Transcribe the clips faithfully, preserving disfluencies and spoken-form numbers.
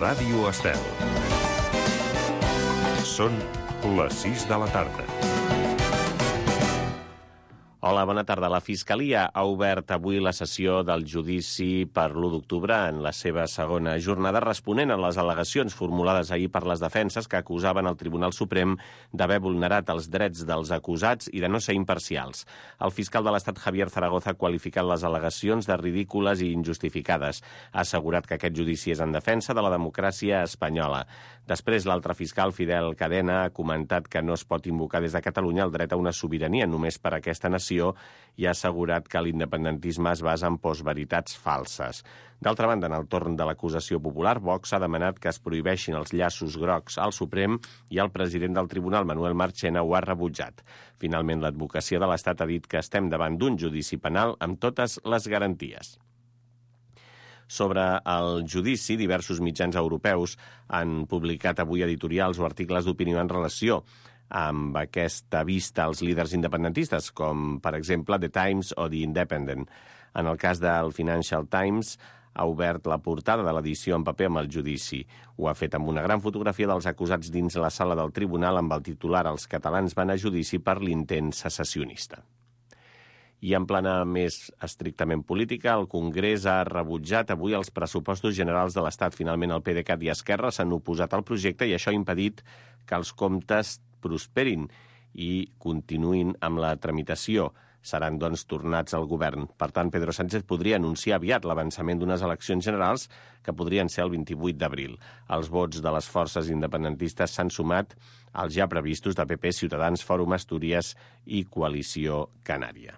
Ràdio Estel. Són les sis de la tarda. Hola, bona tarda. La Fiscalia ha obert avui la sessió del judici per l'u d'octubre en la seva segona jornada, responent a les al·legacions formulades ahir per les defenses que acusaven el Tribunal Suprem d'haver vulnerat els drets dels acusats i de no ser imparcials. El fiscal de l'Estat, Javier Zaragoza, ha qualificat les al·legacions de ridícules i injustificades. Ha assegurat que aquest judici és en defensa de la democràcia espanyola. Després, l'altre fiscal, Fidel Cadena, ha comentat que no es pot invocar des de Catalunya el dret a una sobirania només per a aquesta nació i ha assegurat que l'independentisme es basa en postveritats falses. D'altra banda, en el torn de l'acusació popular, Vox ha demanat que es prohibeixin els llaços grocs al Suprem i el president del Tribunal, Manuel Marchena, ho ha rebutjat. Finalment, l'advocacia de l'Estat ha dit que estem davant d'un judici penal amb totes les garanties. Sobre el judici, diversos mitjans europeus han publicat avui editorials o articles d'opinió en relació amb aquesta vista als líders independentistes, com, per exemple, The Times o The Independent. En el cas del Financial Times, ha obert la portada de l'edició en paper amb el judici. Ho ha fet amb una gran fotografia dels acusats dins la sala del tribunal amb el titular «Els catalans van a judici per l'intent secessionista». I en plana més estrictament política, el Congrés ha rebutjat avui els pressupostos generals de l'Estat. Finalment, el PDeCAT i Esquerra s'han oposat al projecte i això ha impedit que els comptes prosperin i continuïn amb la tramitació. Seran, doncs, tornats al govern. Per tant, Pedro Sánchez podria anunciar aviat l'avançament d'unes eleccions generals que podrien ser el vint-i-vuit d'abril. Els vots de les forces independentistes s'han sumat als ja previstos de P P, Ciutadans, Fòrum Astúries i Coalició Canària.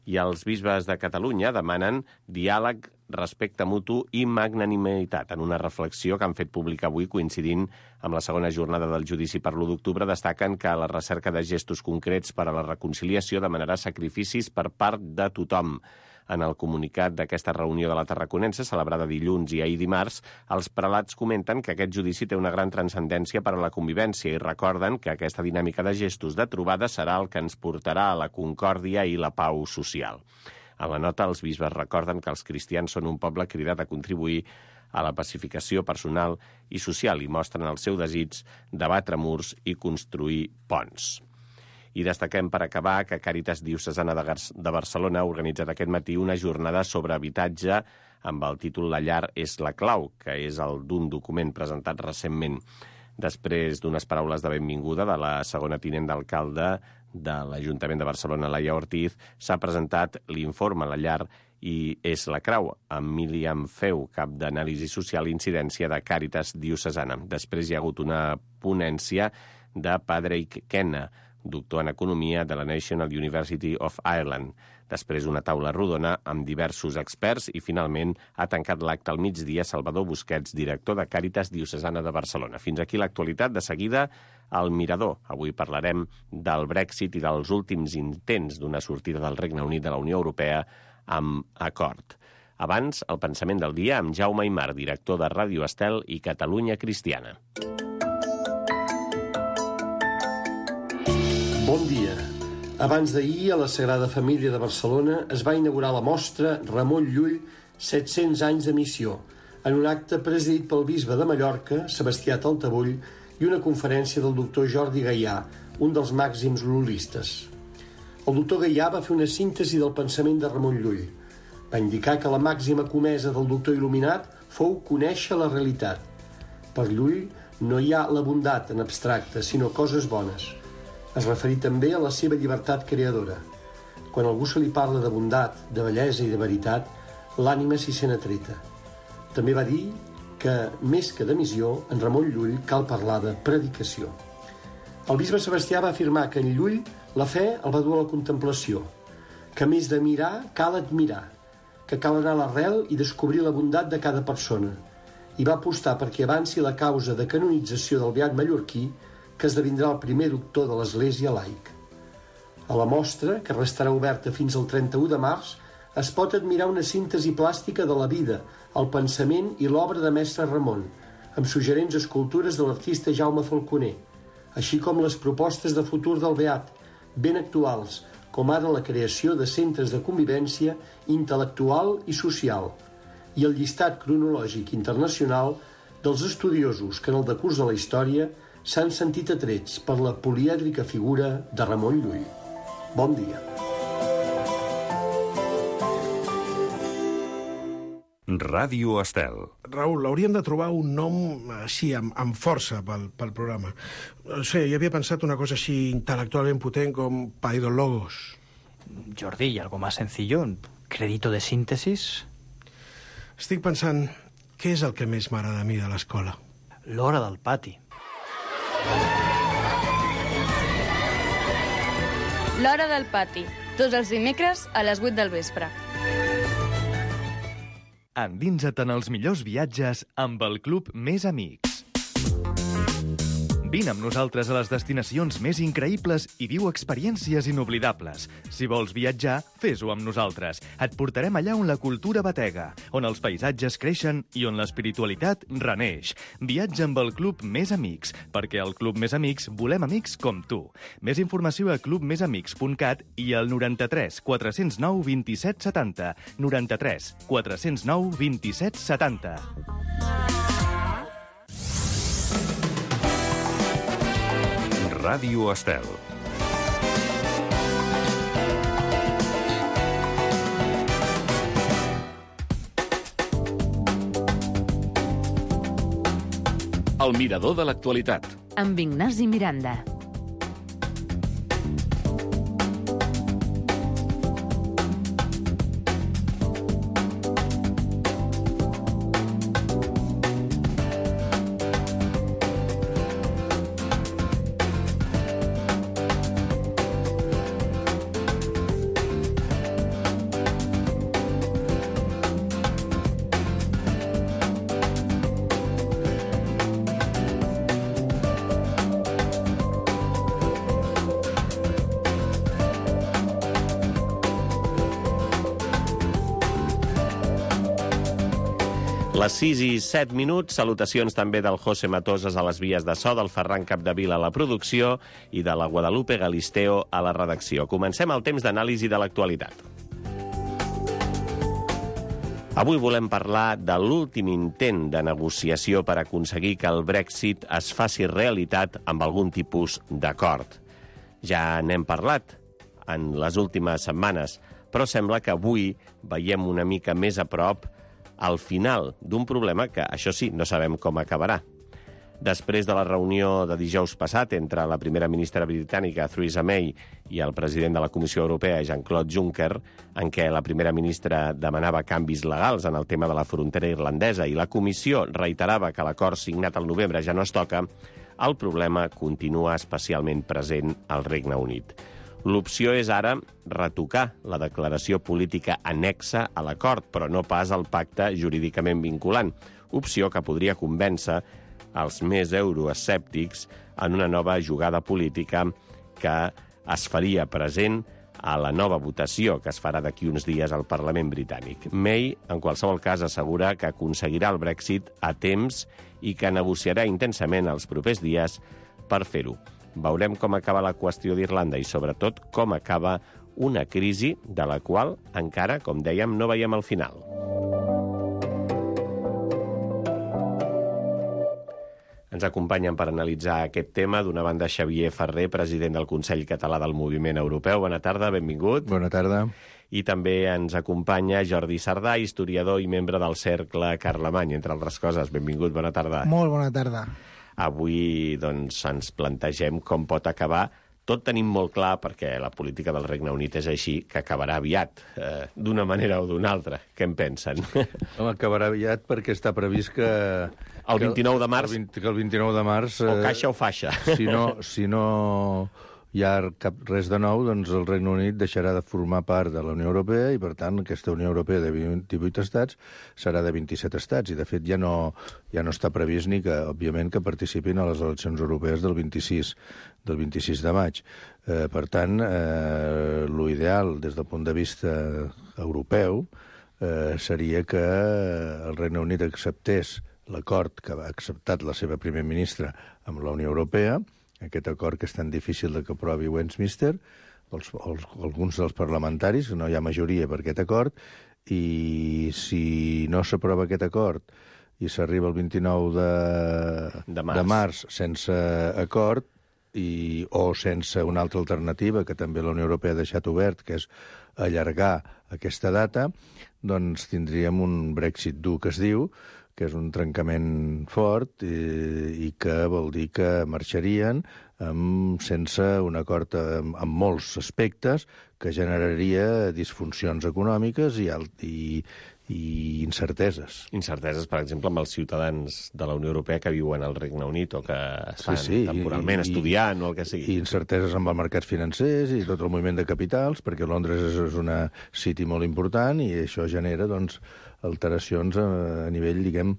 I els bisbes de Catalunya demanen diàleg, respecte mutu i magnanimitat en una reflexió que han fet pública avui coincidint amb la segona jornada del judici per l'u d'octubre. Destaquen que la recerca de gestos concrets per a la reconciliació demanarà sacrificis per part de tothom. En el comunicat d'aquesta reunió de la Tarraconense, celebrada dilluns i ahir dimarts, els prelats comenten que aquest judici té una gran transcendència per a la convivència i recorden que aquesta dinàmica de gestos de trobada serà el que ens portarà a la concòrdia i la pau social. A la nota, els bisbes recorden que els cristians són un poble cridat a contribuir a la pacificació personal i social i mostren el seu desig de batre murs i construir ponts. I destaquem per acabar que Càritas Diocesana de Barcelona ha organitzat aquest matí una jornada sobre habitatge amb el títol La llar és la clau, que és el d'un document presentat recentment. Després d'unes paraules de benvinguda de la segona tinent d'alcalde de l'Ajuntament de Barcelona, Laia Ortiz, s'ha presentat l'informe La llar i és la clau, amb Míriam Feu, cap d'anàlisi social i incidència de Càritas Diocesana. Després hi ha hagut una ponència de Padraig Kenna, doctor en Economia de la National University of Ireland. Després una taula rodona amb diversos experts i finalment ha tancat l'acte al migdia Salvador Busquets, director de Càritas Diocesana de Barcelona. Fins aquí l'actualitat. De seguida, al Mirador. Avui parlarem del Brexit i dels últims intents d'una sortida del Regne Unit de la Unió Europea amb acord. Abans, el pensament del dia amb Jaume Aymar, director de Ràdio Estel i Catalunya Cristiana. Bon dia. Abans d'ahir, a la Sagrada Família de Barcelona es va inaugurar la mostra Ramon Llull, set-cents anys de missió, en un acte presidit pel bisbe de Mallorca, Sebastià Taltabull, i una conferència del doctor Jordi Gaià, un dels màxims lullistes. El doctor Gaià va fer una síntesi del pensament de Ramon Llull. Va indicar que la màxima comesa del doctor il·luminat fou conèixer la realitat. Per Llull no hi ha la bondat en abstracte, sinó coses bones. Es referí també a la seva llibertat creadora. Quan algú se li parla de bondat, de bellesa i de veritat, l'ànima s'hi sent atreta. També va dir que, més que de missió, en Ramon Llull cal parlar de predicació. El bisbe Sebastià va afirmar que en Llull la fe el va dur a la contemplació, que més de mirar cal admirar, que cal anar a l'arrel i descobrir la bondat de cada persona, i va apostar perquè avanci la causa de canonització del beat mallorquí, que esdevindrà el primer doctor de l'Església laic. A la mostra, que restarà oberta fins al trenta-u de març, es pot admirar una síntesi plàstica de la vida, el pensament i l'obra de Mestre Ramon, amb suggerents escultures de l'artista Jaume Falconer, així com les propostes de futur del beat, ben actuals, com ara la creació de centres de convivència intel·lectual i social, i el llistat cronològic internacional dels estudiosos que en el decurs de la història s'han sentit atrets per la polièdrica figura de Ramon Llull. Bon dia. Ràdio Estel. Raül, hauríem de trobar un nom així, amb, amb força pel, pel programa. No sé, jo havia pensat una cosa així intel·lectualment potent com Paidologos. Jordi, ¿y algo más sencillo? ¿Crédito de síntesis? Estic pensant, què és el que més m'agrada a mi de l'escola? L'hora del pati. L'hora del pati, tots els dimecres a les vuit del vespre. Endinsa't en els millors viatges amb el Club Més Amics. Vine amb nosaltres a les destinacions més increïbles i viu experiències inoblidables. Si vols viatjar, fes-ho amb nosaltres. Et portarem allà on la cultura batega, on els paisatges creixen i on l'espiritualitat reneix. Viatja amb el Club Més Amics, perquè al Club Més Amics volem amics com tu. Més informació a club més amics punt cat i al noranta-tres quatre zero nou vint-i-set setanta. noranta-tres quatre zero nou vint-i-set setanta. Ràdio Estel. El mirador de l'actualitat. Amb Ignasi Miranda. Les sis i set minuts, salutacions també del José Matosas a les vies de so, del Ferran Capdevila a la producció i de la Guadalupe Galisteo a la redacció. Comencem el temps d'anàlisi de l'actualitat. Avui volem parlar de l'últim intent de negociació per aconseguir que el Brexit es faci realitat amb algun tipus d'acord. Ja n'hem parlat en les últimes setmanes, però sembla que avui veiem una mica més a prop al final d'un problema que, això sí, no sabem com acabarà. Després de la reunió de dijous passat entre la primera ministra britànica, Theresa May, i el president de la Comissió Europea, Jean-Claude Juncker, en què la primera ministra demanava canvis legals en el tema de la frontera irlandesa i la Comissió reiterava que l'acord signat al novembre ja no es toca, el problema continua especialment present al Regne Unit. L'opció és ara retocar la declaració política annexa a l'acord, però no pas el pacte jurídicament vinculant, opció que podria convèncer els més euroescèptics en una nova jugada política que es faria present a la nova votació que es farà d'aquí uns dies al Parlament britànic. May, en qualsevol cas, assegura que aconseguirà el Brexit a temps i que negociarà intensament els propers dies per fer-ho. Veurem com acaba la qüestió d'Irlanda i, sobretot, com acaba una crisi de la qual encara, com dèiem, no veiem el final. Ens acompanyen per analitzar aquest tema, d'una banda, Xavier Ferrer, president del Consell Català del Moviment Europeu. Bona tarda, benvingut. Bona tarda. I també ens acompanya Jordi Sardà, historiador i membre del Cercle Carlemany, entre altres coses. Benvingut, bona tarda. Molt bona tarda. Avui doncs, ens plantegem com pot acabar. Tot tenim molt clar, perquè la política del Regne Unit és així, que acabarà aviat, eh, d'una manera o d'una altra. Què en pensen? Home, acabarà aviat perquè està previst que... El vint-i-nou de març... Que el, que el vint-i-nou de març... O caixa o faixa. Si no, si no hi ha cap res de nou, doncs el Regne Unit deixarà de formar part de la Unió Europea i, per tant, aquesta Unió Europea de divuit estats serà de vint-i-set estats. I, de fet, ja no, ja no està previst ni que, òbviament, que participin a les eleccions europees del vint-i-sis, del vint-i-sis de maig. Eh, per tant, eh, l'ideal, des del punt de vista europeu, eh, seria que el Regne Unit acceptés l'acord que ha acceptat la seva primer ministra amb la Unió Europea, aquest acord que és tan difícil de que aprovi Westminster, els, els, alguns dels parlamentaris, no hi ha majoria per aquest acord, i si no s'aprova aquest acord i s'arriba el vint-i-nou de, de, març. de març sense acord, i, o sense una altra alternativa que també la Unió Europea ha deixat obert, que és allargar aquesta data, doncs tindríem un Brexit dur, que es diu, que és un trencament fort i, i que vol dir que marxarien amb, sense un acord amb, amb molts aspectes que generaria disfuncions econòmiques i, i, i incerteses. Incerteses, per exemple, amb els ciutadans de la Unió Europea que viuen al Regne Unit o que estan sí, sí, temporalment i, estudiant o el que sigui. I incerteses amb els mercats financers i tot el moviment de capitals, perquè Londres és, és una city molt important i això genera, doncs, alteracions a, a nivell, diguem,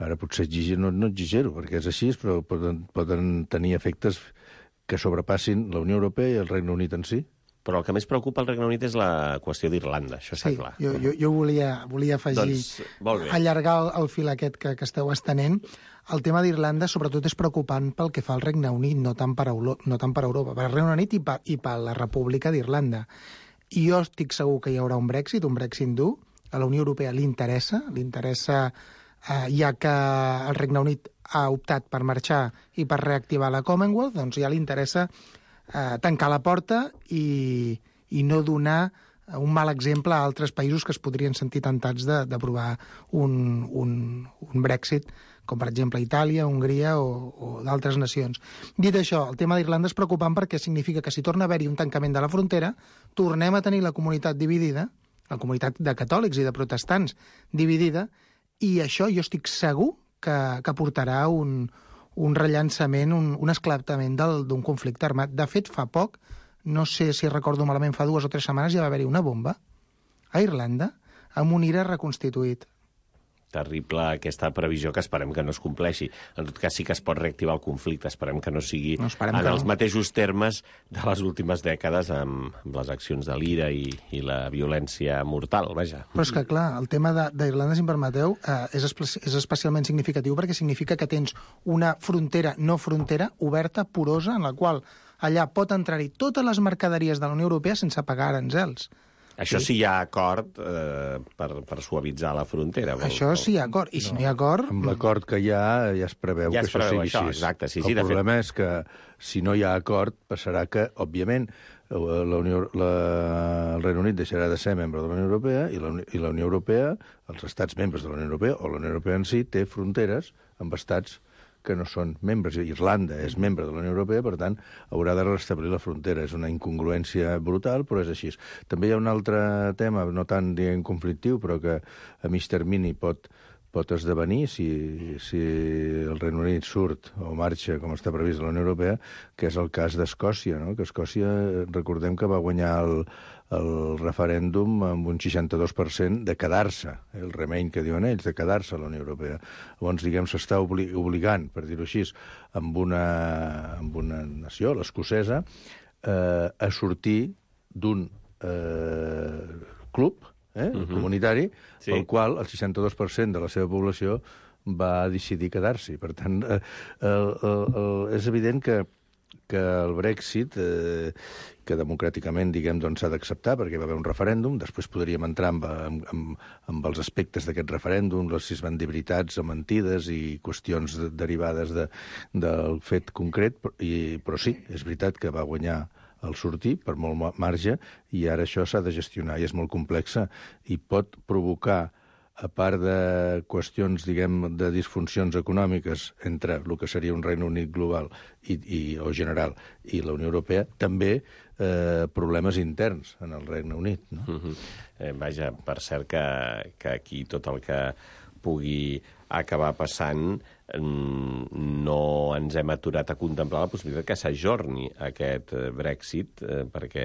ara potser exigir, no, no exigero, perquè és així, però poden, poden tenir efectes que sobrepassin la Unió Europea i el Regne Unit en si. Però el que més preocupa el Regne Unit és la qüestió d'Irlanda, això està sí, clar. Jo, jo, jo volia, volia afegir, doncs, allargar el, el fil aquest que, que esteu estenent. El tema d'Irlanda, sobretot, és preocupant pel que fa al Regne Unit, no tant per, Euro, no tant per Europa, per al Regne Unit i per, i per la República d'Irlanda. I jo estic segur que hi haurà un Brexit, un Brexit dur. A la Unió Europea li interessa, li interessa, eh, ja que el Regne Unit ha optat per marxar i per reactivar la Commonwealth, doncs ja li interessa eh, tancar la porta i, i no donar un mal exemple a altres països que es podrien sentir tentats d'aprovar un, un, un Brexit, com per exemple Itàlia, Hongria o, o d'altres nacions. Dit això, el tema d'Irlanda és preocupant perquè significa que si torna a haver-hi un tancament de la frontera, tornem a tenir la comunitat dividida, la comunitat de catòlics i de protestants dividida, i això jo estic segur que, que portarà un, un rellançament, un, un esclatament d'un conflicte armat. De fet, fa poc, no sé si recordo malament, fa dues o tres setmanes ja va haver-hi una bomba a Irlanda amb un I R A reconstituït. Terrible aquesta previsió que esperem que no es compleixi. En tot cas, sí que es pot reactivar el conflicte. Esperem que no sigui no, en els no. mateixos termes de les últimes dècades amb, amb les accions de l'I R A i, i la violència mortal, vaja. Però és que, clar, el tema d'Irlanda, si em permeteu, eh, és, és especialment significatiu perquè significa que tens una frontera no frontera oberta, porosa, en la qual allà pot entrar-hi totes les mercaderies de la Unió Europea sense pagar aranzels. Això sí, sí hi ha acord eh, per, per suavitzar la frontera. Vol, això sí hi ha acord, i si no, no hi ha acord... Amb l'acord que hi ha ja es preveu ja que es preveu això sigui això, així. Exacte, sí, el sí, problema fet... és que si no hi ha acord passarà que, òbviament, la Unió, la, el Regne Unit deixarà de ser membre de la Unió Europea i la, i la Unió Europea, els estats membres de la Unió Europea, o la Unió Europea en si, té fronteres amb estats que no són membres. Irlanda és membre de la Unió Europea, per tant, haurà de restablir la frontera. És una incongruència brutal, però és així. També hi ha un altre tema, no tan, diguem, conflictiu, però que a mig termini pot, pot esdevenir si, si el Regne Unit surt o marxa, com està previst a la Unió Europea, que és el cas d'Escòcia, no? Que Escòcia, recordem que va guanyar el, el referèndum amb un seixanta-dos per cent de quedar-se, el remain que diuen ells, de quedar-se a la Unió Europea. Llavors, diguem, s'està obli obligant, per dir-ho així, amb una, amb una nació, l'escocesa, eh, a sortir d'un eh, club eh, uh-huh. comunitari, sí. pel qual el seixanta-dos per cent de la seva població va decidir quedar-s'hi. Per tant, eh, el, el, el, és evident que que el Brexit, eh, que democràticament, diguem, doncs s'ha d'acceptar perquè va haver un referèndum, després podríem entrar amb, amb, amb, amb els aspectes d'aquest referèndum, si es van dir veritats o mentides i qüestions de, derivades de, del fet concret, i, però sí, és veritat que va guanyar el sortir per molt marge i ara això s'ha de gestionar i és molt complexa i pot provocar, a part de qüestions, diguem, de disfuncions econòmiques entre el que seria un Regne Unit global i, i, o general i la Unió Europea, també eh, problemes interns en el Regne Unit. No? Uh-huh. eh, vaja, per cert que, que aquí tot el que pugui acabar passant no ens hem aturat a contemplar la possibilitat que s'ajorni aquest Brexit, eh, perquè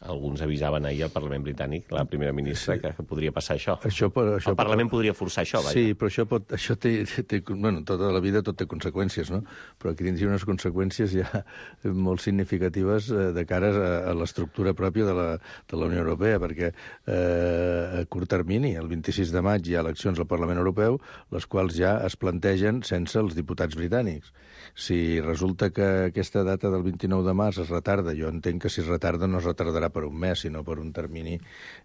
alguns avisaven ahir al Parlament britànic, la primera ministra, sí. que, que podria passar això. això, per, això el Parlament pot... podria forçar això, vaja. Sí, però això, pot, això té, té... Bueno, tota la vida tot té conseqüències, no? Però aquí tindria unes conseqüències ja molt significatives de cara a, a l'estructura pròpia de la, de la Unió Europea, perquè eh, a curt termini, el vint-i-sis de maig, hi ha eleccions al Parlament Europeu, les quals quals ja es plantegen sense els diputats britànics. Si resulta que aquesta data del vint-i-nou de març es retarda, jo entenc que si es retarda no es retardarà per un mes, sinó per un termini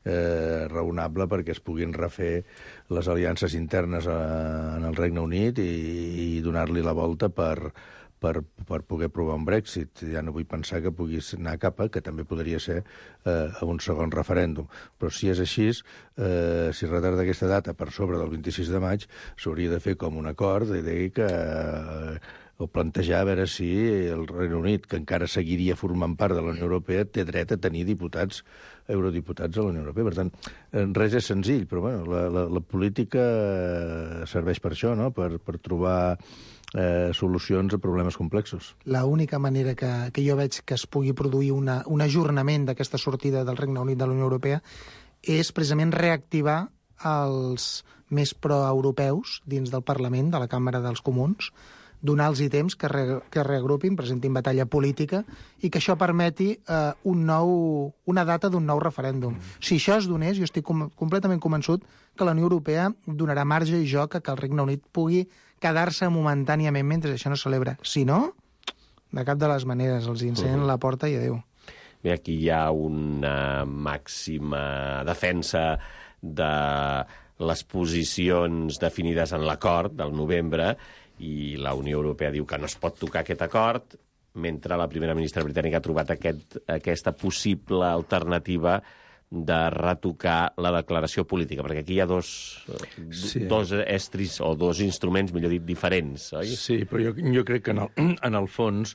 eh, raonable perquè es puguin refer les aliances internes a, en el Regne Unit i, i donar-li la volta per, per, per poder provar un Brexit. Ja no vull pensar que puguis anar cap a, que també podria ser eh, a un segon referèndum. Però si és així, eh, si es retarda aquesta data per sobre del vint-i-sis de maig, s'hauria de fer com un acord i dir que... Eh, o plantejar a veure si el Regne Unit, que encara seguiria formant part de la Unió Europea, té dret a tenir diputats, eurodiputats a la Unió Europea. Per tant, res és senzill, però bueno, la, la, la política serveix per això, no? per, per trobar eh, solucions a problemes complexos. La única manera que, que jo veig que es pugui produir una, un ajornament d'aquesta sortida del Regne Unit de la Unió Europea és precisament reactivar els més proeuropeus dins del Parlament, de la Càmera dels Comuns, donar-los temps que, re, que reagrupin, presentin batalla política i que això permeti eh, un nou, una data d'un nou referèndum. Mm. Si això es donés, jo estic com, completament convençut que la Unió Europea donarà marge i joc a que el Regne Unit pugui quedar-se momentàniament mentre això no es celebra. Si no, de cap de les maneres, els encenen mm. la porta i adéu. Bé, aquí hi ha una màxima defensa de les posicions definides en l'acord del novembre i la Unió Europea diu que no es pot tocar aquest acord, mentre la primera ministra britànica ha trobat aquest, aquesta possible alternativa de retocar la declaració política, perquè aquí hi ha dos, sí. dos estris o dos instruments, millor dit, diferents, oi? Sí, però jo, jo crec que en el, en el fons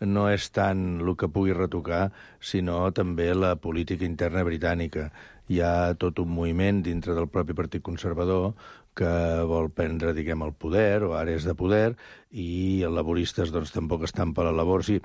no és tant el que pugui retocar, sinó també la política interna britànica. Hi ha tot un moviment dintre del propi Partit Conservador que vol prendre, diguem, el poder, o àrees de poder, i els laboristes doncs, tampoc estan per la labor. Sí,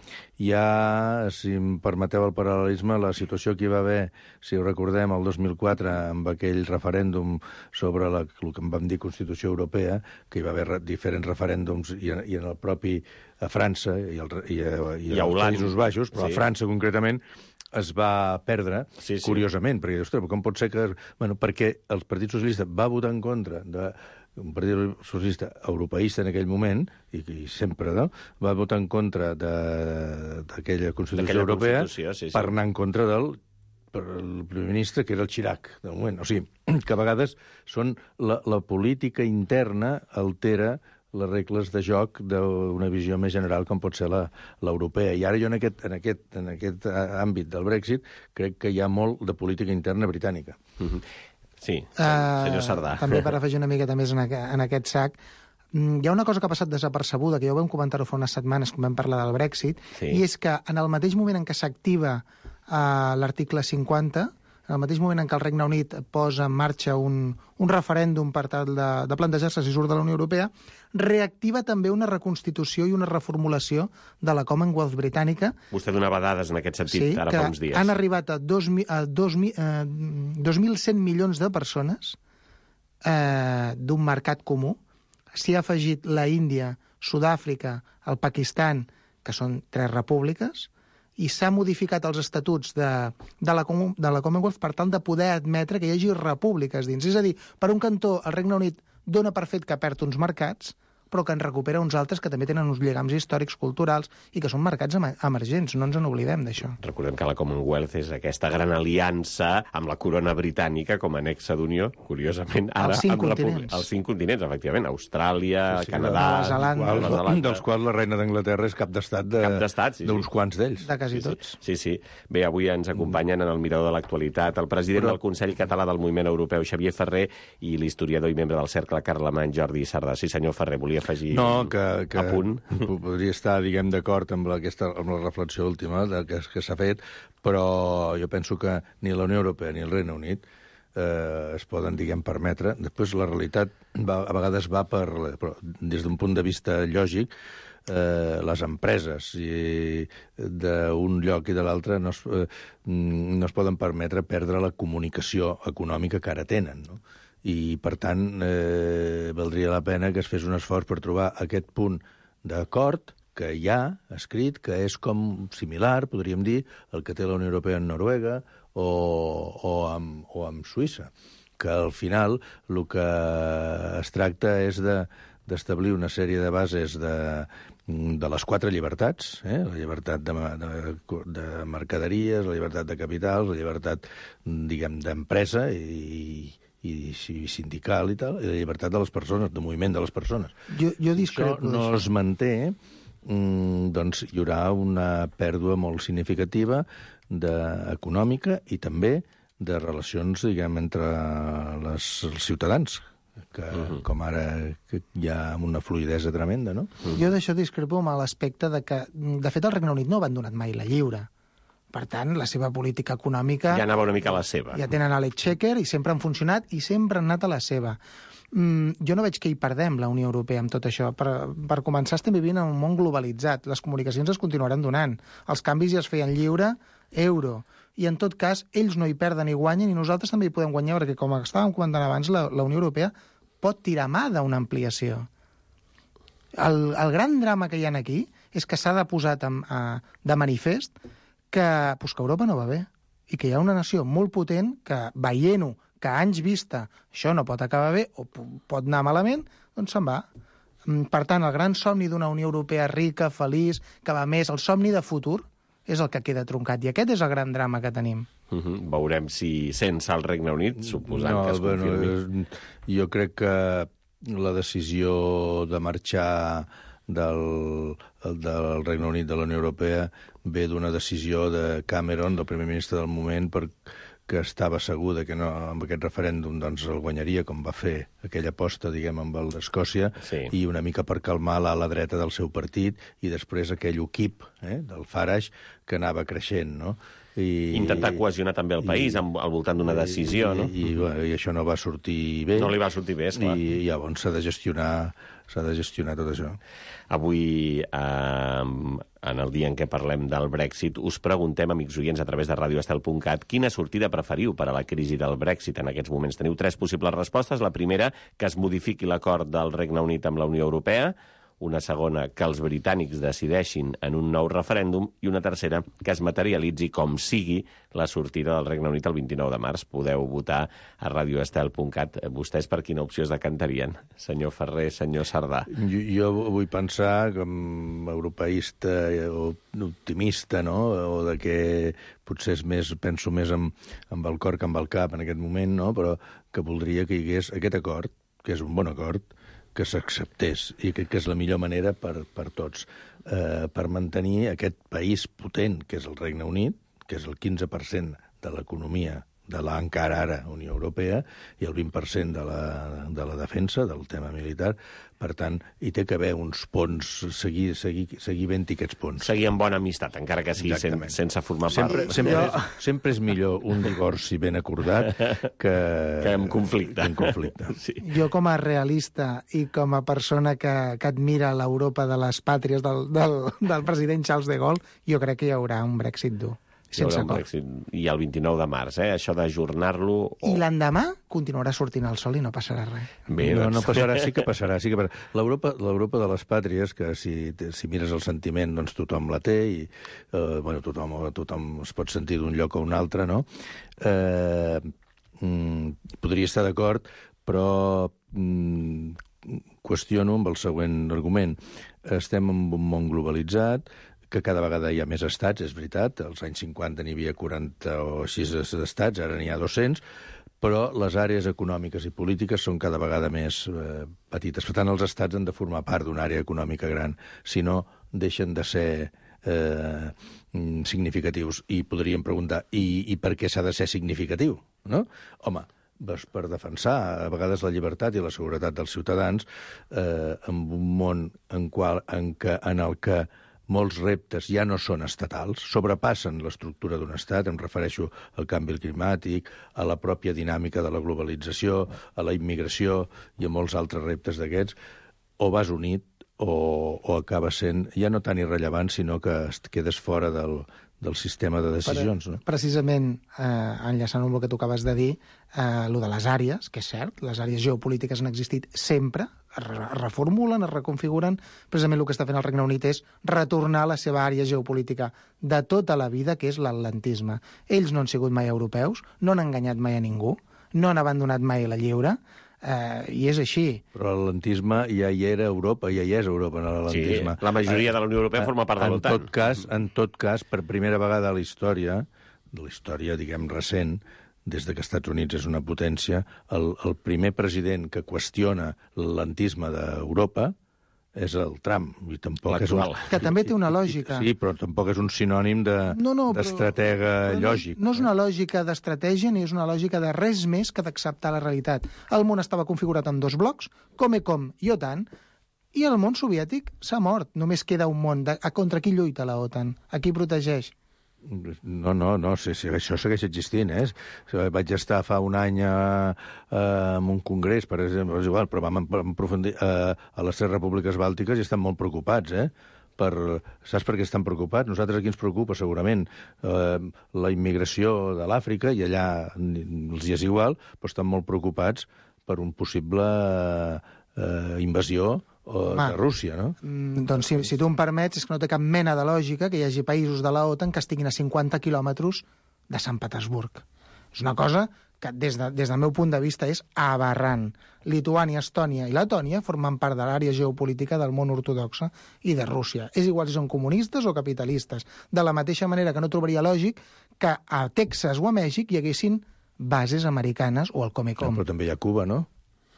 hi ha, si em permeteu el paral·lelisme, la situació que hi va haver, si ho recordem, el dos mil quatre, amb aquell referèndum sobre la, el que en vam dir Constitució Europea, que hi va haver diferents referèndums, i, i en el propi a França i, el, i, a, i, I a als Països Baixos, però sí. A França concretament, es va perdre, sí, sí. Curiosament, perquè, ostres, com pot ser que... Bueno, perquè el Partit Socialista va votar en contra de un Partit Socialista europeista en aquell moment, i, i sempre, no?, va votar en contra d'aquella Constitució Europea Constitució, sí, sí. per anar en contra del per el primer ministre, que era el Chirac, del moment. O sigui, que a vegades són la, la política interna altera les regles de joc d'una visió més general com pot ser l'europea. I ara jo en aquest, en, aquest, en aquest àmbit del Brexit crec que hi ha molt de política interna britànica. Mm-hmm. Sí, senyor Sardà. Uh, també per afegir una miqueta més en, a, en aquest sac, hi ha una cosa que ha passat desapercebuda, que ja ho vam comentar-ho fa unes setmanes quan vam parlar del Brexit, sí. I és que en el mateix moment en què s'activa uh, l'article cinquanta, en el mateix moment en què el Regne Unit posa en marxa un, un referèndum per tal de, de plantejar-se si surt de la Unió Europea, reactiva també una reconstitució i una reformulació de la Commonwealth britànica. Vostè donava dades en aquest sentit, sí, ara fa uns dies. Han arribat a dos mil cent milions de persones eh, d'un mercat comú. S'hi ha afegit la Índia, Sud-àfrica, el Pakistan, que són tres repúbliques, i s'ha modificat els estatuts de, de, la, de la Commonwealth per tal de poder admetre que hi hagi repúbliques dins. És a dir, per un cantó, el Regne Unit dona per fet que perd uns mercats, però que en recupera uns altres que també tenen uns lligams històrics, culturals, i que són mercats emergents. No ens en oblidem d'això. Recordem que la Commonwealth és aquesta gran aliança amb la corona britànica com a anexa d'unió, curiosament, ara els cinc amb continents. Els cinc continents, efectivament. Austràlia, sí, sí, Canadà... Nova Zelanda. Dels, quals, dels quals la reina d'Anglaterra és cap d'estat de, d'uns sí, sí. quants d'ells. De quasi sí, tots. Sí, sí. Bé, avui ens acompanyen en el Mirador de l'Actualitat el president Però... del Consell Català del Moviment Europeu, Xavier Ferrer, i l'historiador i membre del Cercle Carlemany, Jordi Sardà. Sí, senyor Ferrer, volia afegir... No, que que, que a punt. Podria estar, diguem, d'acord amb, aquesta, amb la reflexió última de, que, que s'ha fet, però jo penso que ni la Unió Europea ni el Regne Unit eh, es poden, diguem, permetre. Després la realitat va, a vegades va per... Però des d'un punt de vista lògic, eh, les empreses d'un lloc i de l'altre no, es, eh, no es poden permetre perdre la comunicació econòmica que ara tenen, no? I, per tant, eh, valdria la pena que es fes un esforç per trobar aquest punt d'acord que hi ha escrit, que és com similar, podríem dir, el que té la Unió Europea en Noruega o, o, amb, o amb Suïssa. que al final el que es tracta és de d'establir una sèrie de bases de, de les quatre llibertats, eh? La llibertat de, de, de mercaderies, la llibertat de capitals, la llibertat, diguem, d'empresa i, i, i sindical i tal, i la llibertat de les persones, de moviment de les persones. Jo, jo discrepo Això no es manté, doncs hi haurà una pèrdua molt significativa de, econòmica i també de relacions, diguem, entre les, els ciutadans, que uh-huh. com ara que hi ha una fluïdesa tremenda, no? Uh-huh. Jo d'això discrepo amb l'aspecte de que, de fet, el Regne Unit no ha abandonat mai la lliure. Per tant, la seva política econòmica... Ja anava una mica a la seva. Ja tenen a l'exchequer i sempre han funcionat i sempre han anat a la seva. Mm, jo no veig que hi perdem, la Unió Europea, amb tot això. Per, per començar, estem vivint en un món globalitzat. Les comunicacions es continuaran donant. Els canvis ja es feien lliure, euro. I, en tot cas, ells no hi perden ni guanyen i nosaltres també hi podem guanyar, perquè, com estàvem comentant abans, la, la Unió Europea pot tirar mà d'una ampliació. El, el gran drama que hi ha aquí és que s'ha de posar de, de manifest que, pues, que Europa no va bé i que hi ha una nació molt potent que, veient-ho, que a anys vista això no pot acabar bé o pot anar malament, doncs se'n va. Per tant, el gran somni d'una Unió Europea rica, feliç, que va més, el somni de futur, és el que queda truncat. I aquest és el gran drama que tenim. Uh-huh. Veurem si sense el Regne Unit, suposant no, que es confirmi. Bueno, jo crec que la decisió de marxar del, del Regne Unit de la Unió Europea ve d'una decisió de Cameron, del primer ministre del moment, per que estava segur de que no, amb aquest referèndum doncs, el guanyaria, com va fer aquella aposta, diguem, amb el d'Escòcia, sí. I una mica per calmar l'ala dreta del seu partit, i després aquell UKIP, eh, del Farage, que anava creixent, no? I, intentar cohesionar també el país i, al voltant d'una decisió, i, no? I, i, i això no va sortir bé. No li va sortir bé, esclar. I llavors s'ha de gestionar s'ha de gestionar tot això. Avui, eh, en el dia en què parlem del Brexit, us preguntem, amics oients, a través de radio estel punt cat, quina sortida preferiu per a la crisi del Brexit en aquests moments. Teniu tres possibles respostes. La primera, que es modifiqui l'acord del Regne Unit amb la Unió Europea. Una segona, que els britànics decideixin en un nou referèndum, i una tercera, que es materialitzi com sigui la sortida del Regne Unit el vint-i-nou de març. Podeu votar a radio estel punt cat. Vostès per quina opció es decantarien? Senyor Ferrer, senyor Sardà. Jo, jo vull pensar, com europeista o optimista, no?, o de que potser és més, penso més amb, amb el cor que amb el cap en aquest moment, no?, però que voldria que hi hagués aquest acord, que és un bon acord, que s'acceptés, i crec que és la millor manera per, per tots, eh, per mantenir aquest país potent, que és el Regne Unit, que és el quinze per cent de l'economia de la encara ara Unió Europea, i el vint per cent de la, de la defensa, del tema militar. Per tant, hi té que haver uns ponts, seguir, seguir, seguir ben-hi aquests ponts. Seguir amb bona amistat, encara que sigui sen, sense formar part. Sempre, sempre, és, sempre és millor un divorci ben acordat que... que en conflicte. En conflicte. Sí. Jo, com a realista i com a persona que, que admira l'Europa de les pàtries del, del, del president Charles de Gaulle, jo crec que hi haurà un Brexit dur. Sense acord. I el vint-i-nou de març, eh? Això d'ajornar-lo... O... I l'endemà continuarà sortint el sol i no passarà res. Bé, no, doncs... no passarà, sí que passarà. Sí que passarà. L'Europa, l'Europa de les pàtries, que si, si mires el sentiment, doncs tothom la té, i eh, bueno, tothom, tothom es pot sentir d'un lloc a un altre, no? Eh, mm, podria estar d'acord, però mm, qüestiono amb el següent argument. Estem en un món globalitzat, que cada vegada hi ha més estats, és veritat. Als anys cinquanta n'hi havia quaranta o sis estats, ara n'hi ha dos-cents, però les àrees econòmiques i polítiques són cada vegada més eh, petites. Per tant, els estats han de formar part d'una àrea econòmica gran, si no deixen de ser eh, significatius. I podríem preguntar, i, i per què s'ha de ser significatiu? No? Home, doncs per defensar a vegades la llibertat i la seguretat dels ciutadans eh, en un món en, qual, en, que, en el que molts reptes ja no són estatals, sobrepassen l'estructura d'un estat, em refereixo al canvi climàtic, a la pròpia dinàmica de la globalització, a la immigració i a molts altres reptes d'aquests, o vas unit o, o acaba sent ja no tan irrellevant, sinó que et quedes fora del, del sistema de decisions. Per, no? Precisament, eh, enllaçant amb el que tu acabes de dir, eh, el de les àrees, que és cert, les àrees geopolítiques han existit sempre, es reformulen, es reconfiguren. Precisament el que està fent el Regne Unit és retornar a la seva àrea geopolítica de tota la vida, que és l'atlantisme. Ells no han sigut mai europeus, no han enganyat mai a ningú, no han abandonat mai la lliure, eh, i és així. Però l'atlantisme ja hi era a Europa, ja hi és a Europa, no, l'atlantisme. Sí, la majoria de la Unió Europea forma part de l'OTAN. En tot cas, en tot cas, per primera vegada a la història, de la història, diguem, recent, des de que els Estats Units és una potència, el, el primer president que qüestiona l'atlantisme d'Europa és el Trump. I tampoc és un... Que també té una lògica. Sí, però tampoc és un sinònim de, no, no, d'estratega però, lògic. No, no és una lògica d'estratègia ni és una lògica de res més que d'acceptar la realitat. El món estava configurat en dos blocs, Comecom i OTAN, i el món soviètic s'ha mort. Només queda un món. De, a contra qui lluita la OTAN? A qui protegeix? No, no, no, sí, sí, això segueix existint, eh? Vaig estar fa un any a, a, en un congrés, per exemple, és igual, però vam aprofundir a, a les tres repúbliques bàltiques i estan molt preocupats, eh? Per, saps per què estan preocupats? Nosaltres aquí ens preocupa, segurament, eh, la immigració de l'Àfrica, i allà els hi és igual, però estan molt preocupats per un possible eh, invasió o de Rússia, no? Mm, doncs si, si tu em permets, és que no té cap mena de lògica que hi hagi països de la OTAN que estiguin a cinquanta quilòmetres de Sant Petersburg. És una cosa que des, de, des del meu punt de vista és aberrant. Lituània, Estònia i Letònia formen part de l'àrea geopolítica del món ortodoxa i de Rússia. És igual si són comunistes o capitalistes. De la mateixa manera que no trobaria lògic que a Texas o a Mèxic hi haguessin bases americanes o al Comecom. No, però també hi ha Cuba, no?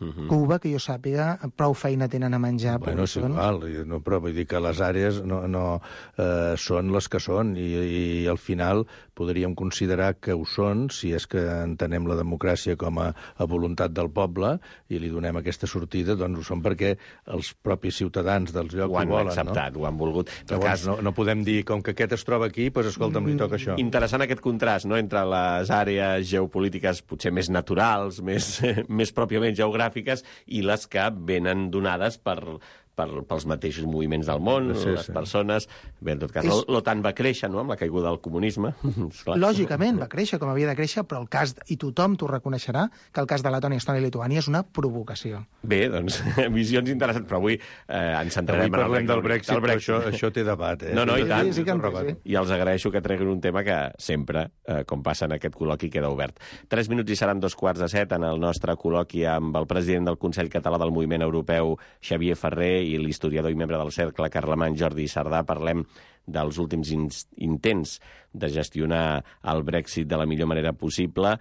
Uh-huh. Cuba, que jo sàpiga, prou feina tenen a menjar. Bueno, és igual, no, però vull dir que les àrees no, no, eh, són les que són i, i al final podríem considerar que ho són si és que entenem la democràcia com a, a voluntat del poble i li donem aquesta sortida, doncs ho són perquè els propis ciutadans dels llocs ho, ho volen, acceptat, no? Ho han volgut. Llavors, cas... no, no podem dir, com que aquest es troba aquí, doncs escolta'm, li toca això. Interessant aquest contrast, no?, entre les àrees geopolítiques potser més naturals, més, més pròpiament geogràfiques, i les que venen donades per, per, pels mateixos moviments del món, sí, les sí. persones... Bé, en tot cas, és... l'OTAN va créixer, no?, amb la caiguda del comunisme. Lògicament, va créixer com havia de créixer, però el cas, i tothom t'ho reconeixerà, que el cas de Letònia, Estònia i Lituània és una provocació. Bé, doncs, visions interessants, però avui eh, ens centrarem avui parlem en el del Brexit, del Brexit. Això, això té debat, eh? No, no, i tant. Sí, sí, sí. I els agraeixo que treguin un tema que sempre, eh, com passa en aquest col·loqui, queda obert. Tres minuts i seran dos quarts de set en el nostre col·loqui amb el president del Consell Català del Moviment Europeu, Xavier Ferrer, i l'historiador i membre del Cercle Carlemany, Jordi Sardà. Parlem dels últims intents de gestionar el Brexit de la millor manera possible,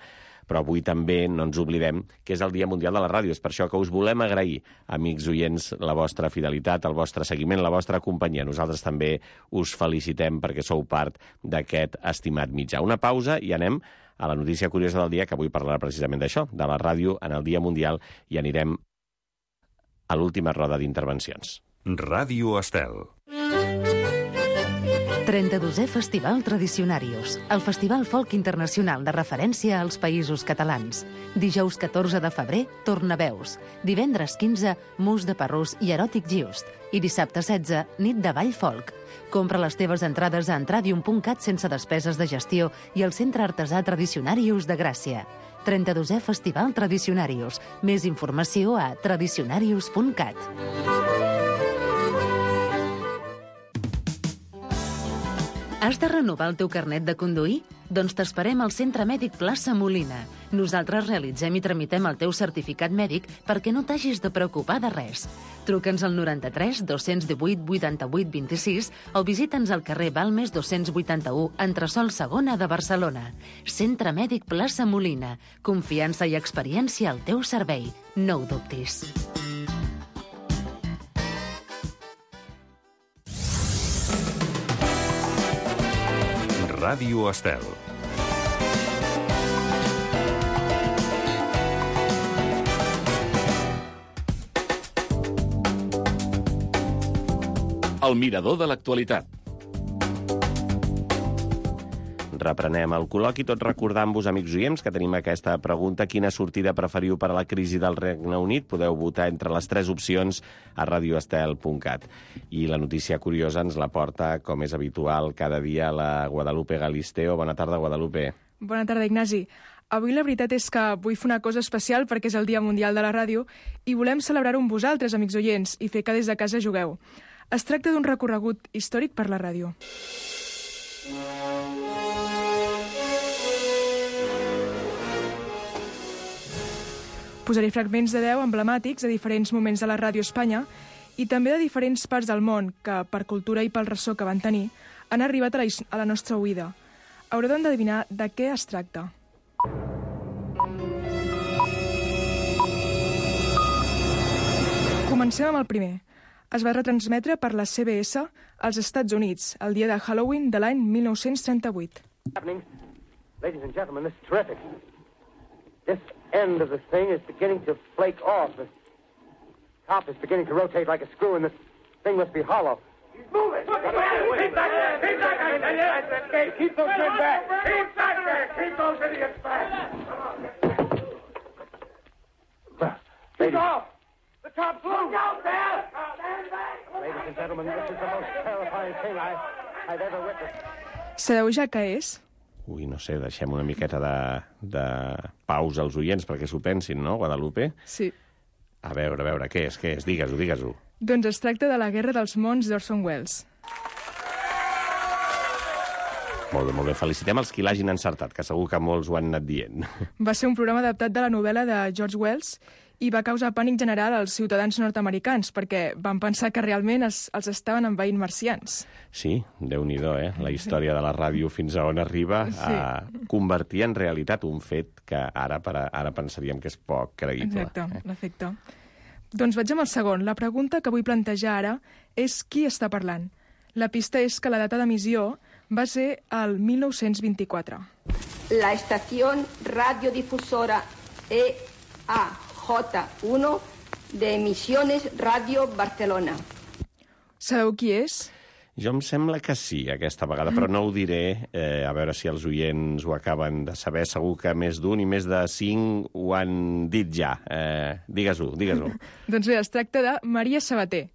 però avui també no ens oblidem que és el Dia Mundial de la Ràdio. És per això que us volem agrair, amics oients, la vostra fidelitat, el vostre seguiment, la vostra companyia. Nosaltres també us felicitem perquè sou part d'aquest estimat mitjà. Una pausa i anem a la notícia curiosa del dia, que avui parlarà precisament d'això, de la ràdio en el Dia Mundial, i anirem a l'última roda d'intervencions. Ràdio Estel. trenta-dosè Festival Tradicionarius, el festival folk internacional de referència als països catalans. Dijous catorze de febrer, Tornaveus. Divendres quinze, Mus de Parrús i Eròtic Just. I dissabte setze, Nit de Ball Folk. Compra les teves entrades a entradium punt cat sense despeses de gestió i al Centre Artesà Tradicionarius de Gràcia. trenta-dosè Festival Tradicionarius. Més informació a tradicionarius punt cat. Has de renovar el teu carnet de conduir? Doncs t'esperem al Centre Mèdic Plaça Molina. Nosaltres realitzem i tramitem el teu certificat mèdic perquè no t'hagis de preocupar de res. Truca'ns al noranta-tres dos-cents divuit vuitanta-vuit vint-i-sis o visita'ns al carrer Balmes dos-cents vuitanta-u, entresòl segona de Barcelona. Centre Mèdic Plaça Molina. Confiança i experiència al teu servei. No ho dubtis. Ràdio Estel. El mirador de l'actualitat. Reprenem el col·loqui, tot recordant-vos, amics oients, que tenim aquesta pregunta: quina sortida preferiu per a la crisi del Regne Unit? Podeu votar entre les tres opcions a radio estel punt cat. I la notícia curiosa ens la porta, com és habitual, cada dia la Guadalupe Galisteo. Bona tarda, Guadalupe. Bona tarda, Ignasi. Avui la veritat és que vull fer una cosa especial perquè és el Dia Mundial de la Ràdio i volem celebrar-ho amb vosaltres, amics oients, i fer que des de casa jugueu. Es tracta d'un recorregut històric per la ràdio. Posaré fragments de veu emblemàtics de diferents moments de la ràdio a Espanya i també de diferents parts del món que, per cultura i pel ressò que van tenir, han arribat a la, a la nostra oïda. Haureu d'endevinar de què es tracta. Comencem amb el primer. Es va retransmetre per la C B S als Estats Units el dia de Halloween de l'any mil nou-cents trenta-vuit. Ladies and gentlemen, this is terrific. This end of the thing is beginning to flake off. The top is beginning to rotate like a screw, and this thing must be hollow. Move it! Keep back there! Keep back there! Keep those men back! Keep back there! Keep those idiots back! Keep off! The top's loose! Look out there! Ladies and gentlemen, this is the most terrifying thing I, I've ever witnessed. Sabeu ja què és? Ui, no sé, deixem una miqueta de, de pausa als oients perquè s'ho pensin, no, Guadalupe? Sí. A veure, a veure, què és, què és? Digues-ho, digues-ho. Doncs es tracta de la Guerra dels Mons d'Orson Welles. Molt bé, molt bé. Felicitem els qui l'hagin encertat, que segur que molts ho han anat dient. Va ser un programa adaptat de la novel·la de George Wells i va causar pànic general als ciutadans nord-americans perquè van pensar que realment es, els estaven envaint marcians. Sí, Déu-n'hi-do, eh? La història de la ràdio fins a on arriba sí. a convertir en realitat un fet que ara, per a, ara pensaríem que és poc creïble. Exacte, eh? L'efecte. Doncs vaig amb el segon. La pregunta que vull plantejar ara és qui està parlant. La pista és que la data d'emissió va ser el mil nou-cents vint-i-quatre. La estació radiodifusora E A J uno de Emisiones Radio Barcelona. Sabeu qui és? Jo em sembla que sí, aquesta vegada, però no ho diré. Eh, a veure si els oients ho acaben de saber. Segur que més d'un i més de cinc ho han dit ja. Eh, digues-ho, digues-ho. Doncs bé, es tracta de Maria Sabater.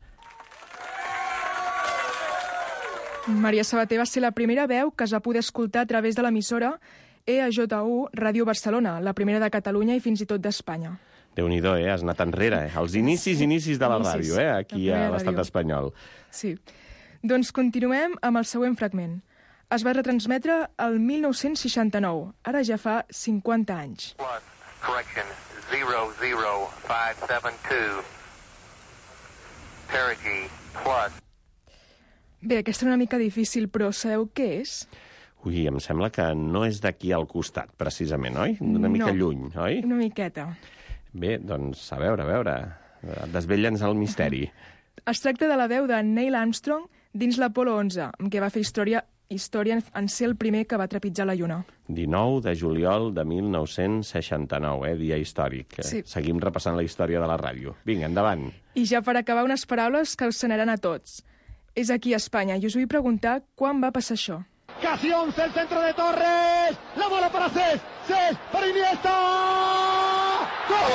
Maria Sabater va ser la primera veu que es va poder escoltar a través de l'emissora E A J U Ràdio Barcelona, la primera de Catalunya i fins i tot d'Espanya. Déu-n'hi-do, eh? Has anat enrere, eh? Els inicis, inicis de la ràdio, eh? Aquí a l'estat espanyol. Sí. Doncs continuem amb el següent fragment. Es va retransmetre el mil nou-cents seixanta-nou, ara ja fa cinquanta anys. Correction, zero zero five seven two. Perigee plus. Bé, aquesta és una mica difícil, però sabeu què és? Ui, em sembla que no és d'aquí al costat, precisament, oi? Una mica no, lluny, oi? Una miqueta. Bé, doncs, a veure, a veure, desvetlla'ns el misteri. Es tracta de la veu de Neil Armstrong dins l'Apolo onze, amb què va fer història, història en ser el primer que va trepitjar la Lluna. dinou de juliol de mil nou-cents seixanta-nou, eh? Dia històric. Sí. Seguim repassant la història de la ràdio. Vinga, endavant. I ja per acabar, unes paraules que us sonaran a tots. És aquí a Espanya, i us vull preguntar quan va passar això. Casi once, el centro de Torres, la bola para Cés, Cés para Iniesta. ¡Gol!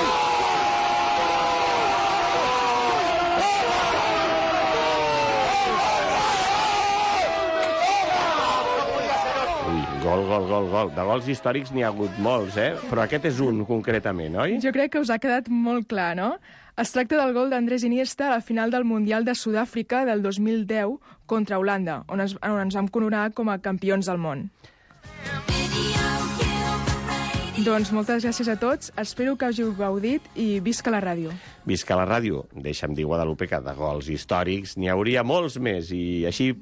Gol, gol, gol, gol. De gols històrics n'hi ha hagut molts, eh? Però aquest és un, concretament, oi? Jo crec que us ha quedat molt clar, no? Es tracta del gol d'Andrés Iniesta a la final del Mundial de Sud-àfrica del dos mil deu contra Holanda, on ens, on ens vam coronar com a campions del món. Doncs moltes gràcies a tots, espero que hàgiu gaudit i visca la ràdio. Visca la ràdio. Deixa'm dir, Guadalupe, que de gols històrics n'hi hauria molts més i així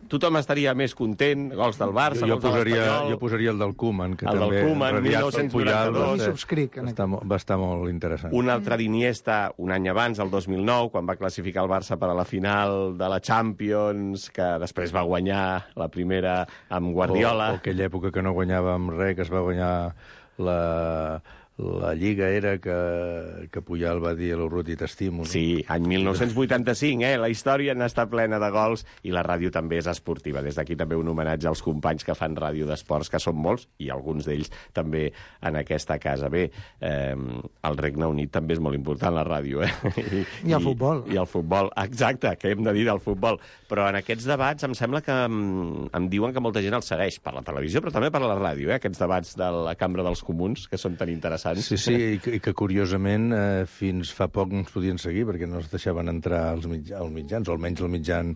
tothom estaria més content. Gols del Barça, jo, jo gols de l'Espanyol... Jo posaria el del Koeman, que el també... El del Koeman, mil nou-cents noranta-dos. Subscric. Va estar, va estar molt interessant. Un altre d'Iniesta, un any abans, el dos mil nou, quan va classificar el Barça per a la final de la Champions, que després va guanyar la primera amb Guardiola. O, o aquella època que no guanyàvem res, que es va guanyar la, la Lliga era que, que Puyol va dir a l'Urruti t'estimo. No? Sí, any mil nou-cents vuitanta-cinc, eh? La història n'està plena de gols i la ràdio també és esportiva. Des d'aquí també un homenatge als companys que fan ràdio d'esports, que són molts, i alguns d'ells també en aquesta casa. Bé, eh, al Regne Unit també és molt important la ràdio, eh? I, I el futbol. I, I el futbol, exacte, que hem de dir del futbol. Però en aquests debats em sembla que em, em diuen que molta gent els segueix per la televisió, però també per la ràdio, eh? Aquests debats de la Cambra dels Comuns, que són tan interessants. Sí, sí, i que, i que curiosament eh, fins fa poc no ens podien seguir perquè no es deixaven entrar als, mitja, als mitjans, o almenys el mitjan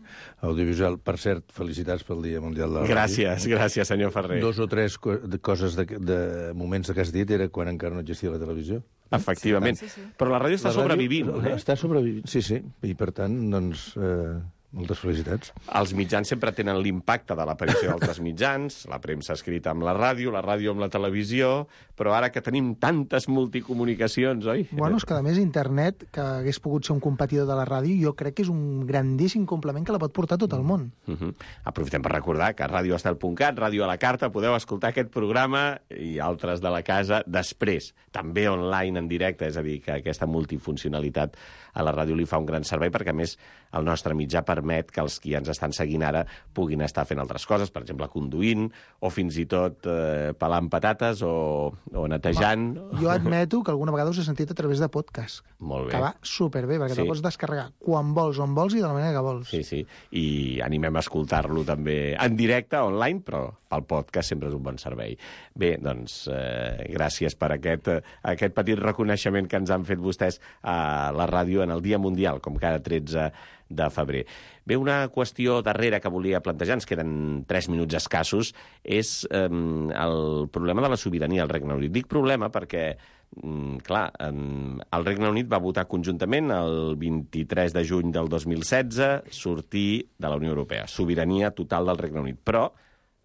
audiovisual. Per cert, felicitats pel Dia Mundial de la Gràcies, Ràdio. gràcies, senyor Ferrer. Dos o tres co de coses, de, de moments que has dit, era quan encara no existia la televisió. Efectivament. Sí, sí. Però la ràdio està La ràdio sobrevivint. Eh? Està sobrevivint, sí, sí. I per tant, doncs... Eh... Moltes felicitats. Els mitjans sempre tenen l'impacte de l'aparició d'altres mitjans, la premsa escrita amb la ràdio, la ràdio amb la televisió, però ara que tenim tantes multicomunicacions, oi? Bueno, és que a més internet, que hagués pogut ser un competidor de la ràdio, jo crec que és un grandíssim complement que la pot portar a tot el món. Uh -huh. Aprofitem per recordar que a radio estel punt cat, Ràdio a la Carta, podeu escoltar aquest programa i altres de la casa després, també online en directe, és a dir, que aquesta multifuncionalitat a la ràdio li fa un gran servei, perquè a més el nostre mitjà permet que els qui ens estan seguint ara puguin estar fent altres coses, per exemple, conduint, o fins i tot eh, pelant patates o, o netejant. Ma, jo admeto que alguna vegada us he sentit a través de podcast. Molt bé. Que va superbé, perquè sí. Te'l pots descarregar quan vols, on vols i de la manera que vols. Sí, sí. I animem a escoltar-lo també en directe, online, però pel podcast sempre és un bon servei. Bé, doncs, eh, gràcies per aquest, eh, aquest petit reconeixement que ens han fet vostès a la ràdio en el Dia Mundial, com cada tretze de febrer. Bé, una qüestió darrera que volia plantejar, ens queden tres minuts escassos, és eh, el problema de la sobirania al Regne Unit. Dic problema perquè, mm, clar, eh, el Regne Unit va votar conjuntament el vint-i-tres de juny del dos mil setze sortir de la Unió Europea. Sobirania total del Regne Unit. Però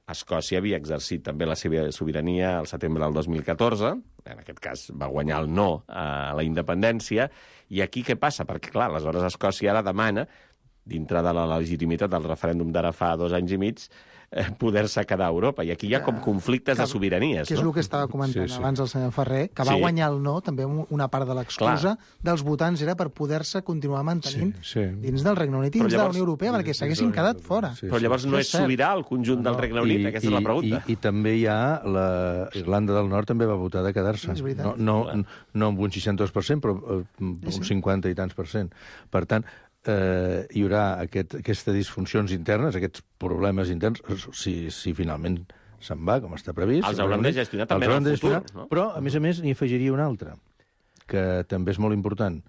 Escòcia havia exercit també la seva sobirania al setembre del dos mil catorze, en aquest cas va guanyar el no a la independència, i aquí què passa? Perquè, clar, aleshores Escòcia ara demana, dintre de la legitimitat del referèndum d'ara fa dos anys i mig, eh, poder-se quedar a Europa. I aquí hi ha com conflictes que, de sobiranies. Que és no? el que estava comentant sí, sí. abans el senyor Ferrer, que va sí. guanyar el no, també una part de l'excusa dels votants era per poder-se continuar mantenint sí, sí. dins del Regne Unit i dins llavors, de la Unió Europea, perquè s'haguessin quedat fora. Sí, sí. Però llavors no és sobirà el conjunt del Regne Unit? I, Aquesta i, és la pregunta. I, i també hi ha... La Irlanda del Nord també va votar de quedar-se. No, no, no amb un seixanta-dos per cent, però eh, un cinquanta i tants per cent. Per tant, eh, hi haurà aquest, aquestes disfuncions internes, aquests problemes interns, si, si finalment se'n va, com està previst. Els haurem de gestionar també en el futur. No? Però, a més a més, n'hi afegiria una altra, que també és molt important,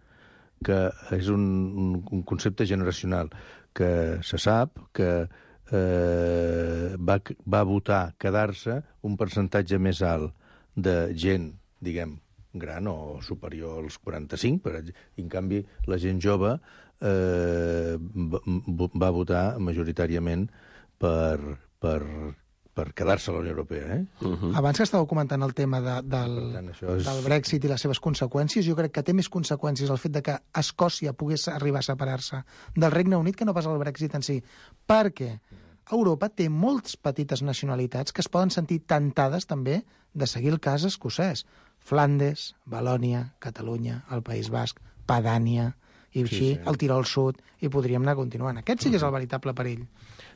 que és un, un, un concepte generacional, que se sap que eh, va, va votar quedar-se un percentatge més alt de gent, diguem, gran o superior als quaranta-cinc, per exemple. I, en canvi, la gent jove eh, va votar majoritàriament per, per, per quedar-se a la Unió Europea. Eh? Uh-huh. Abans que estàveu comentant el tema de, del, tant, és... del Brexit i les seves conseqüències, jo crec que té més conseqüències el fet de que Escòcia pogués arribar a separar-se del Regne Unit que no pas el Brexit en si. Perquè Europa té moltes petites nacionalitats que es poden sentir tentades també de seguir el cas escocès. Flandes, Valònia, Catalunya, el País Basc, Padània, i així sí, sí. el Tirol Sud, i podríem anar continuant. Aquest sí que és el veritable perill.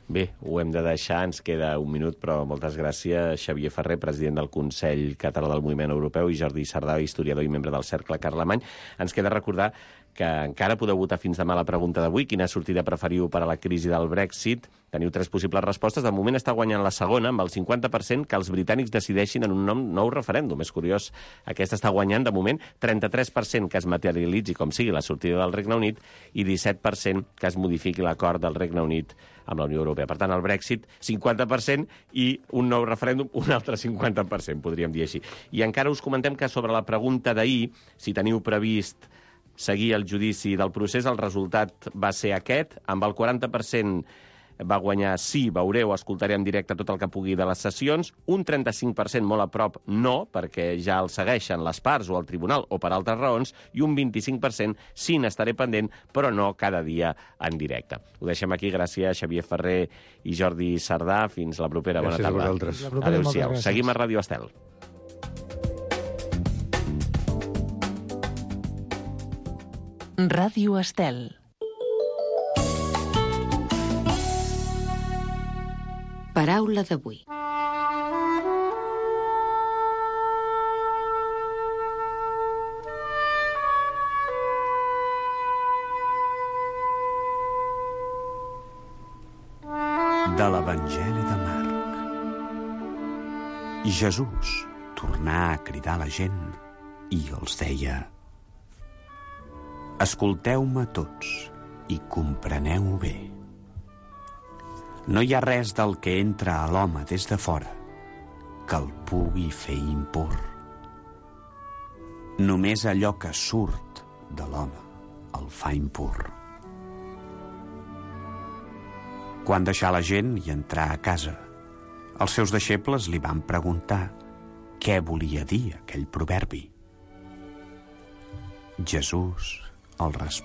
Bé, ho hem de deixar, ens queda un minut, però moltes gràcies, Xavier Ferrer, president del Consell Català del Moviment Europeu, i Jordi Sardà, historiador i membre del Cercle Carlemany. Ens queda recordar que encara podeu votar fins demà la pregunta d'avui, quina sortida preferiu per a la crisi del Brexit. Teniu tres possibles respostes. De moment està guanyant la segona, amb el cinquanta per cent que els britànics decideixin en un nou, nou referèndum. És curiós, aquesta està guanyant, de moment, trenta-tres per cent que es materialitzi com sigui la sortida del Regne Unit i disset per cent que es modifiqui l'acord del Regne Unit amb la Unió Europea. Per tant, el Brexit, cinquanta per cent, i un nou referèndum, un altre cinquanta per cent, podríem dir així. I encara us comentem que sobre la pregunta d'ahir, si teniu previst seguir el judici del procés, el resultat va ser aquest. Amb el quaranta per cent va guanyar sí, veureu, escoltaré en directe tot el que pugui de les sessions. Un trenta-cinc per cent molt a prop no, perquè ja el segueixen les parts o el tribunal o per altres raons, i un vint-i-cinc per cent sí, n'estaré pendent, però no cada dia en directe. Ho deixem aquí. Gràcies, Xavier Ferrer i Jordi Sardà. Fins la propera. Gràcies Bona tarda. a vosaltres. Adéu-siau. Seguim a Ràdio Estel. Ràdio Estel. Paraula d'avui. De l'Evangeli de Marc. I Jesús tornà a cridar la gent i els deia: escolteu-me tots i compreneu bé. No hi ha res del que entra a l'home des de fora que el pugui fer impur. Només allò que surt de l'home el fa impur. Quan deixà la gent i entrà a casa, els seus deixebles li van preguntar què volia dir aquell proverbi. Jesús el respongué.